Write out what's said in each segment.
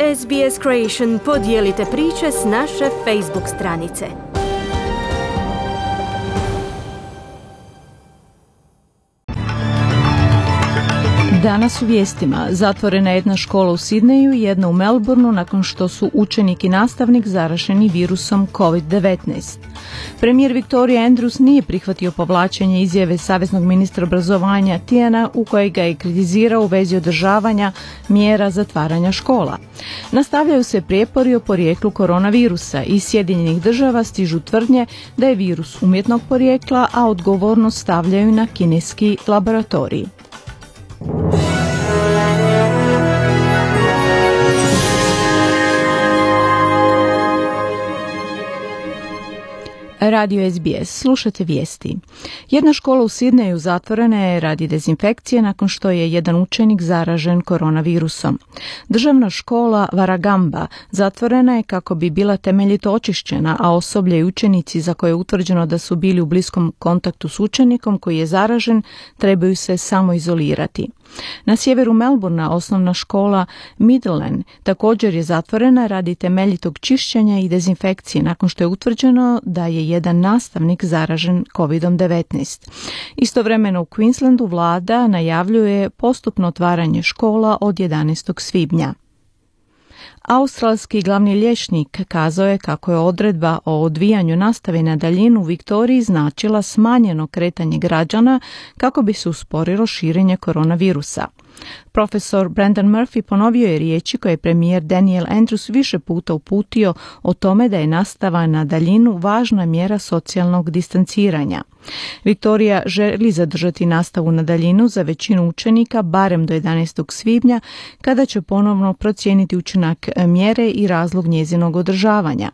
SBS Creation, podijelite priče s naše Facebook stranice. Danas u vijestima. Zatvorena je jedna škola u Sidneju i jedna u Melbourneu nakon što su učenik i nastavnik zaraženi virusom COVID-19. Premijer Victoria Andrews nije prihvatio povlačenje izjave saveznog ministra obrazovanja Tiana u kojoj ga je kritizirao u vezi održavanja mjera zatvaranja škola. Nastavljaju se prijepori o porijeklu koronavirusa. Iz Sjedinjenih Država stižu tvrdnje da je virus umjetnog porijekla, a odgovornost stavljaju na kineski laboratorij. Radio SBS. Slušate vijesti. Jedna škola u Sidneju zatvorena je radi dezinfekcije nakon što je jedan učenik zaražen koronavirusom. Državna škola Warragamba zatvorena je kako bi bila temeljito očišćena, a osoblje i učenici za koje je utvrđeno da su bili u bliskom kontaktu s učenikom koji je zaražen trebaju se samo izolirati. Na sjeveru Melbournea osnovna škola Midland također je zatvorena radi temeljitog čišćenja i dezinfekcije nakon što je utvrđeno da je jedan nastavnik zaražen COVID-19. Istovremeno u Queenslandu vlada najavljuje postupno otvaranje škola od 11. svibnja. Australski glavni liječnik kazao je kako je odredba o odvijanju nastave na daljinu u Viktoriji značila smanjeno kretanje građana kako bi se usporilo širenje koronavirusa. Profesor Brendan Murphy ponovio je riječi koje je premijer Daniel Andrews više puta uputio o tome da je nastava na daljinu važna mjera socijalnog distanciranja. Viktorija želi zadržati nastavu na daljinu za većinu učenika barem do 11. svibnja, kada će ponovno procijeniti učinak mjere i razlog njezinog održavanja.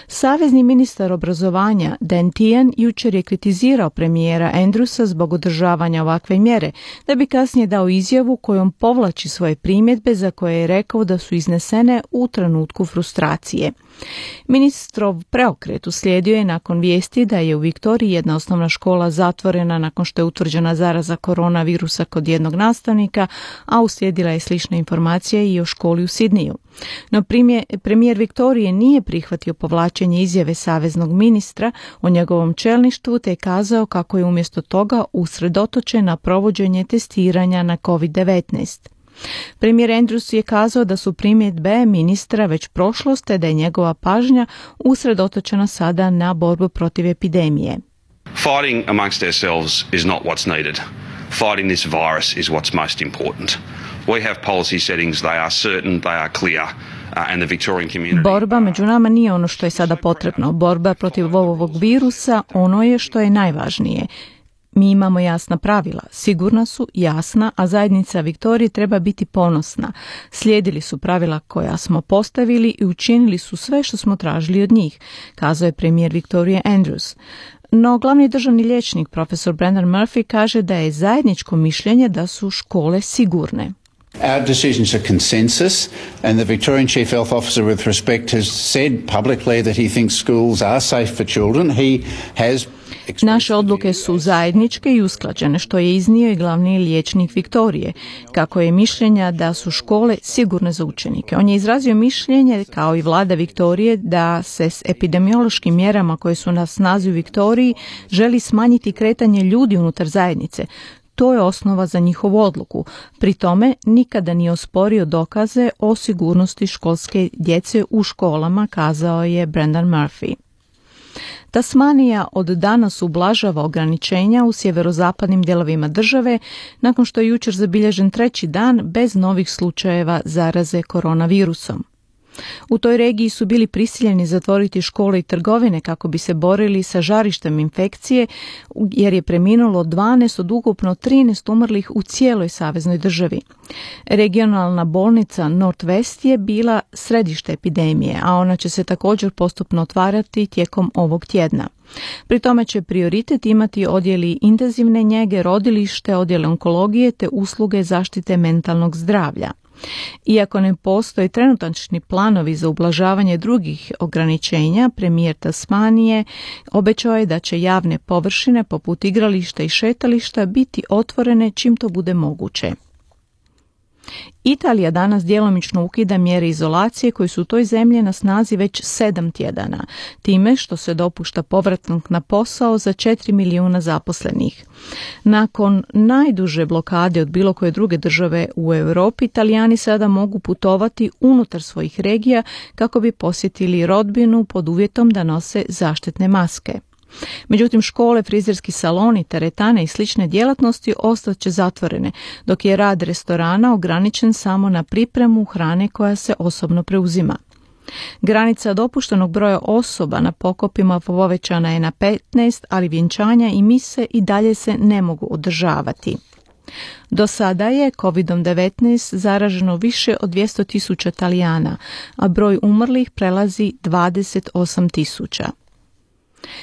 Savezni ministar obrazovanja Dan Tehan jučer je kritizirao premijera Andrewsa zbog održavanja ovakve mjere, da bi kasnije dao izjavu kojom povlači svoje primjedbe za koje je rekao da su iznesene u trenutku frustracije. Ministrov preokret uslijedio je nakon vijesti da je u Viktoriji jedna osnovna škola zatvorena nakon što je utvrđena zaraza koronavirusa kod jednog nastavnika, a uslijedila je slična informacija i o školi u Sidneju. No premijer Viktorije nije prihvatio povlačenje izjave saveznog ministra o njegovom čelništvu, te je kazao kako je umjesto toga usredotočen na provođenje testiranja na COVID-19. Premijer Andrews je kazao da su primjedbe ministra već prošlost, te da je njegova pažnja usredotočena sada na borbu protiv epidemije. Fighting amongst ourselves is not what's needed. Fighting this virus is what's most important. We have policy settings, they are certain, they are clear. Borba među nama nije ono što je sada potrebno. Borba protiv ovog virusa ono je što je najvažnije. Mi imamo jasna pravila, sigurna su, jasna, a zajednica Viktorije treba biti ponosna. Slijedili su pravila koja smo postavili i učinili su sve što smo tražili od njih, kazao je premijer Victoria Andrews. No glavni državni liječnik profesor Brendan Murphy kaže da je zajedničko mišljenje da su škole sigurne. Our decisions are consensus, and the Victorian Chief Health Officer, with respect, has said publicly that he thinks schools are safe for children. He has Naše odluke su zajedničke i usklađene, što je iznio i glavni liječnik Viktorije, kako je mišljenja da su škole sigurne za učenike. On je izrazio mišljenje, kao i vlada Viktorije, da se s epidemiološkim mjerama koje su na snazi u Viktoriji želi smanjiti kretanje ljudi unutar zajednice. To je osnova za njihovu odluku. Pri tome nikada nije osporio dokaze o sigurnosti školske djece u školama, kazao je Brendan Murphy. Tasmanija od danas ublažava ograničenja u sjeverozapadnim dijelovima države nakon što je jučer zabilježen treći dan bez novih slučajeva zaraze koronavirusom. U toj regiji su bili prisiljeni zatvoriti škole i trgovine kako bi se borili sa žarištem infekcije, jer je preminulo 12 od ukupno 13 umrlih u cijeloj saveznoj državi. Regionalna bolnica North West je bila središte epidemije, a ona će se također postupno otvarati tijekom ovog tjedna. Pri tome će prioritet imati odjeli intenzivne njege, rodilište, odjele onkologije te usluge zaštite mentalnog zdravlja. Iako ne postoje trenutačni planovi za ublažavanje drugih ograničenja, premijer Tasmanije obećao je da će javne površine poput igrališta i šetališta biti otvorene čim to bude moguće. Italija danas djelomično ukida mjere izolacije koje su u toj zemlji na snazi već 7 tjedana, time što se dopušta povratak na posao za 4 milijuna zaposlenih. Nakon najduže blokade od bilo koje druge države u Europi, Italijani sada mogu putovati unutar svojih regija kako bi posjetili rodbinu pod uvjetom da nose zaštitne maske. Međutim, škole, frizerski saloni, teretane i slične djelatnosti ostat će zatvorene, dok je rad restorana ograničen samo na pripremu hrane koja se osobno preuzima. Granica dopuštenog broja osoba na pokopima povećana je na 15, ali vjenčanja i mise i dalje se ne mogu održavati. Do sada je COVID-19 zaraženo više od 200.000 Talijana, a broj umrlih prelazi 28.000.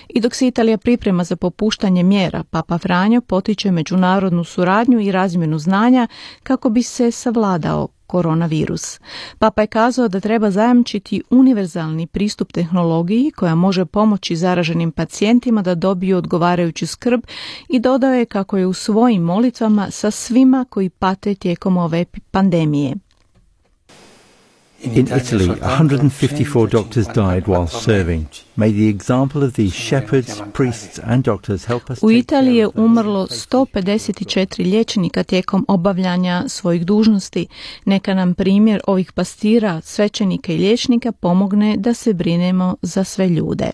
I dok se Italija priprema za popuštanje mjera, Papa Franjo potiče međunarodnu suradnju i razmjenu znanja kako bi se savladao koronavirus. Papa je kazao da treba zajamčiti univerzalni pristup tehnologiji koja može pomoći zaraženim pacijentima da dobiju odgovarajuću skrb i dodao je kako je u svojim molitvama sa svima koji pate tijekom ove pandemije. In Italy, 154 doctors died while serving. May the example of these shepherds, priests and doctors help us. U Italiji je umrlo 154 liječnika tijekom obavljanja svojih dužnosti. Neka nam primjer ovih pastira, svećenika i liječnika pomogne da se brinemo za sve ljude.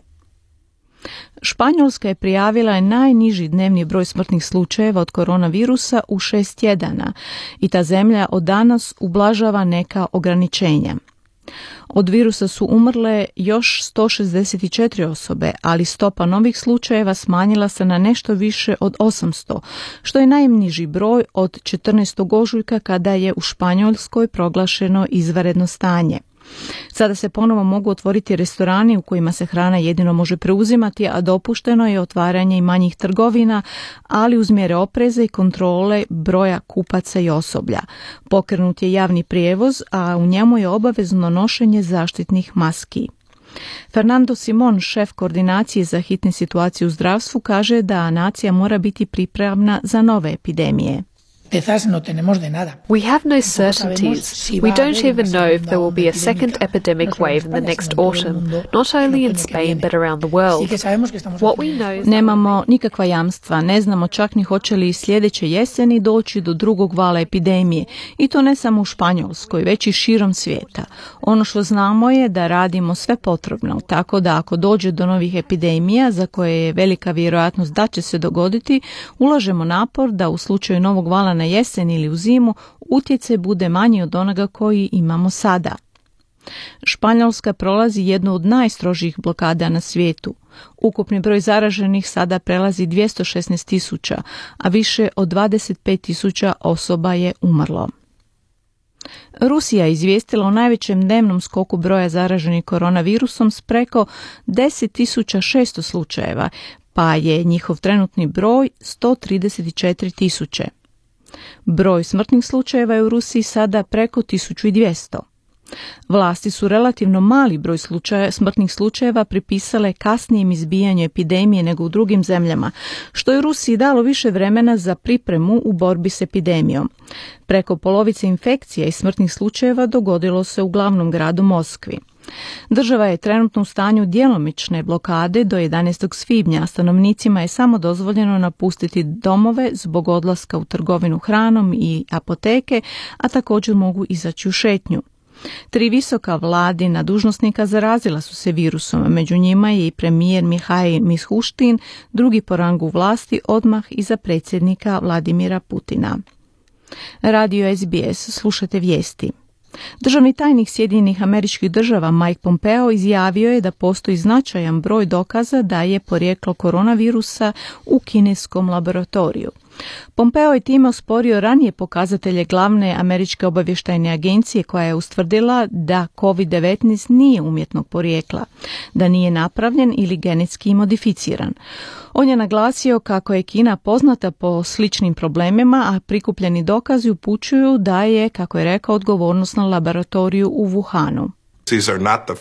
Španjolska je prijavila najniži dnevni broj smrtnih slučajeva od koronavirusa u 6 tjedana i ta zemlja od danas ublažava neka ograničenja. Od virusa su umrle još 164 osobe, ali stopa novih slučajeva smanjila se na nešto više od 800, što je najniži broj od 14. ožujka kada je u Španjolskoj proglašeno izvanredno stanje. Sada se ponovo mogu otvoriti restorani u kojima se hrana jedino može preuzimati, a dopušteno je otvaranje i manjih trgovina, ali uz mjere opreza i kontrole broja kupaca i osoblja. Pokrenut je javni prijevoz, a u njemu je obavezno nošenje zaštitnih maski. Fernando Simon, šef koordinacije za hitne situacije u zdravstvu, kaže da nacija mora biti pripravna za nove epidemije. We have no certainties. We don't even know if there will be a second epidemic wave in the next autumn, not only in Spain but around the world. What we know is Nemamo nikakva jamstva, ne znamo čak ni hoće li sljedeće jeseni doći do drugog vala epidemije, i to ne samo u Španjolskoj, već i širom svijeta. Ono što znamo je da radimo sve potrebno, tako da ako dođe do novih epidemija za koje je velika vjerojatnost da će se dogoditi, ulažemo napor da u slučaju novog vala na jesen ili u zimu utjecaj bude manji od onoga koji imamo sada. Španjolska prolazi jednu od najstrožijih blokada na svijetu. Ukupni broj zaraženih sada prelazi 216.000, a više od 25.000 osoba je umrlo. Rusija je izvijestila o najvećem dnevnom skoku broja zaraženih koronavirusom s preko 10.600 slučajeva, pa je njihov trenutni broj 134.000. Broj smrtnih slučajeva je u Rusiji sada preko 1200. Vlasti su relativno mali broj smrtnih slučajeva pripisale kasnijem izbijanju epidemije nego u drugim zemljama, što je Rusiji dalo više vremena za pripremu u borbi s epidemijom. Preko polovice infekcija i smrtnih slučajeva dogodilo se u glavnom gradu Moskvi. Država je trenutno u stanju djelomične blokade do 11. svibnja, a stanovnicima je samo dozvoljeno napustiti domove zbog odlaska u trgovinu hranom i apoteke, a također mogu izaći u šetnju. 3 visoka vladina dužnosnika zarazila su se virusom, a među njima je i premijer Mihajl Mishustin, drugi po rangu vlasti odmah iza predsjednika Vladimira Putina. Radio SBS, slušate vijesti. Državni tajnik Sjedinjenih Američkih Država Mike Pompeo izjavio je da postoji značajan broj dokaza da je porijeklo koronavirusa u kineskom laboratoriju. Pompeo je time osporio ranije pokazatelje glavne američke obavještajne agencije koja je ustvrdila da COVID-19 nije umjetnog porijekla, da nije napravljen ili genetski modificiran. On je naglasio kako je Kina poznata po sličnim problemima, a prikupljeni dokazi upućuju da je, kako je rekao, odgovornost na laboratoriju u Wuhanu. These are not the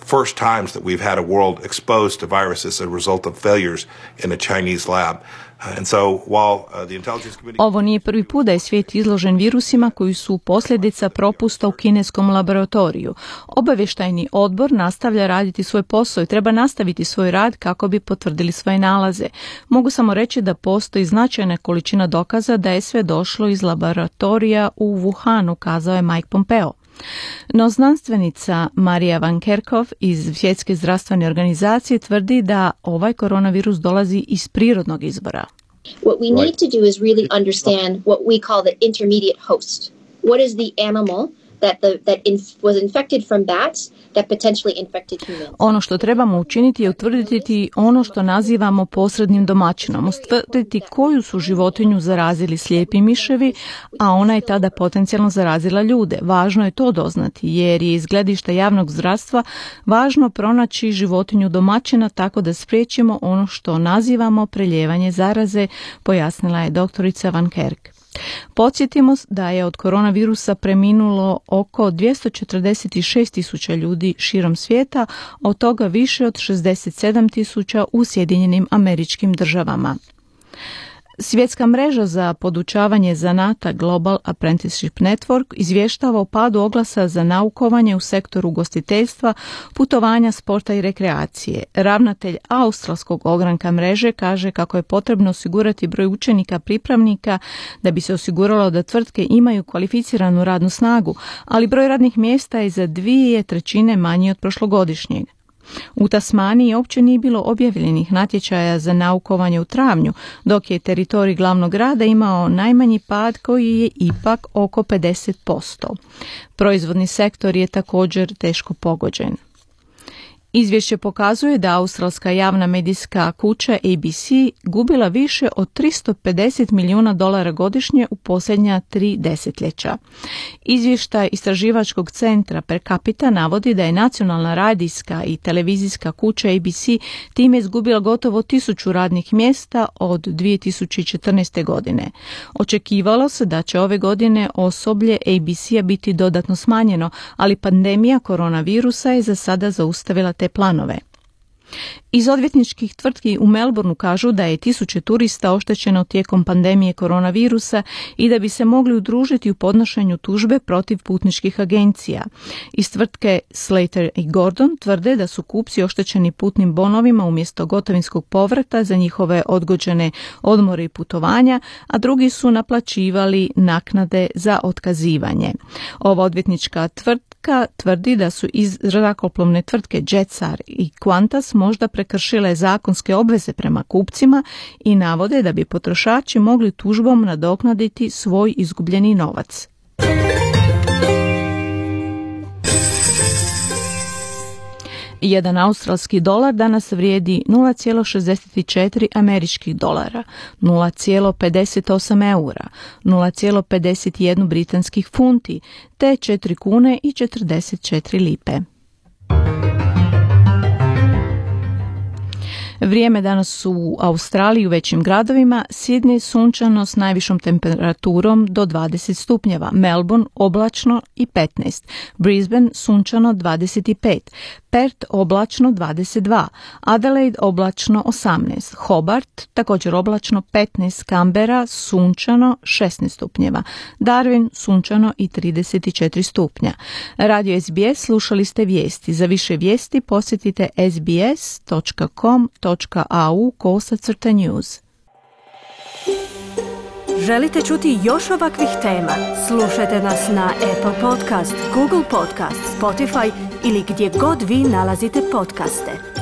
first times that we've had a world exposed to viruses as a result of failures in a Chinese lab. Ovo nije prvi put da je svijet izložen virusima koji su posljedica propusta u kineskom laboratoriju. Obavještajni odbor nastavlja raditi svoj posao i treba nastaviti svoj rad kako bi potvrdili svoje nalaze. Mogu samo reći da postoji značajna količina dokaza da je sve došlo iz laboratorija u Wuhanu, kazao je Mike Pompeo. No znanstvenica Marija Van Kerkhove iz Svjetske zdravstvene organizacije tvrdi da ovaj koronavirus dolazi iz prirodnog izvora. What we need to do is really understand what we call the intermediate host. What is the animal that was infected from bats that potentially infected humans? Ono što trebamo učiniti je utvrditi ono što nazivamo posrednim domaćinom, utvrditi koju su životinju zarazili slijepi miševi, a ona je tada potencijalno zarazila ljude. Važno je to doznati jer je iz gledišta javnog zdravstva važno pronaći životinju domaćina tako da spriječimo ono što nazivamo preljevanje zaraze, pojasnila je doktorica Van Kerk. Podsjetimo da je od koronavirusa preminulo oko 246.000 ljudi širom svijeta, od toga više od 67.000 u Sjedinjenim Američkim Državama. Svjetska mreža za podučavanje zanata Global Apprenticeship Network izvještava o padu oglasa za naukovanje u sektoru ugostiteljstva, putovanja, sporta i rekreacije. Ravnatelj australskog ogranka mreže kaže kako je potrebno osigurati broj učenika pripravnika da bi se osiguralo da tvrtke imaju kvalificiranu radnu snagu, ali broj radnih mjesta je za 2/3 manji od prošlogodišnjeg. U Tasmaniji uopće nije bilo objavljenih natječaja za naukovanje u travnju, dok je teritorij glavnog grada imao najmanji pad koji je ipak oko 50%. Proizvodni sektor je također teško pogođen. Izvješće pokazuje da australska javna medijska kuća ABC gubila više od $350 milijuna godišnje u posljednja 3 desetljeća. Izvještaj istraživačkog centra Per Capita navodi da je nacionalna radijska i televizijska kuća ABC time izgubila gotovo 1000 radnih mjesta od 2014. godine. Očekivalo se da će ove godine osoblje ABC-a biti dodatno smanjeno, ali pandemija koronavirusa je za sada zaustavila te planove. Iz odvjetničkih tvrtki u Melbourneu kažu da je 1000 turista oštećeno tijekom pandemije koronavirusa i da bi se mogli udružiti u podnošenju tužbe protiv putničkih agencija. Iz tvrtke Slater i Gordon tvrde da su kupci oštećeni putnim bonovima umjesto gotovinskog povrata za njihove odgođene odmore i putovanja, a drugi su naplaćivali naknade za otkazivanje. Ova odvjetnička tvrtka tvrdi da su iz zrakoplovne tvrtke Jetstar i Qantas možda prekršile zakonske obveze prema kupcima i navode da bi potrošači mogli tužbom nadoknaditi svoj izgubljeni novac. Jedan australski dolar danas vrijedi 0,64 američkih dolara, 0,58 eura, 0,51 britanskih funti te 4 kune i 44 lipe. Vrijeme danas u Australiji u većim gradovima: Sydney sunčano s najvišom temperaturom do 20 stupnjeva, Melbourne oblačno i 15, Brisbane sunčano 25, Perth oblačno 22, Adelaide oblačno 18, Hobart također oblačno 15, Canberra sunčano 16 stupnjeva, Darwin sunčano i 34 stupnja. Radio SBS slušali ste vijesti. Za više vijesti posjetite sbs.com.au/news. Želite čuti još ovakvih tema? Slušajte nas na Apple Podcast, Google Podcast, Spotify ili gdje god vi nalazite podcaste.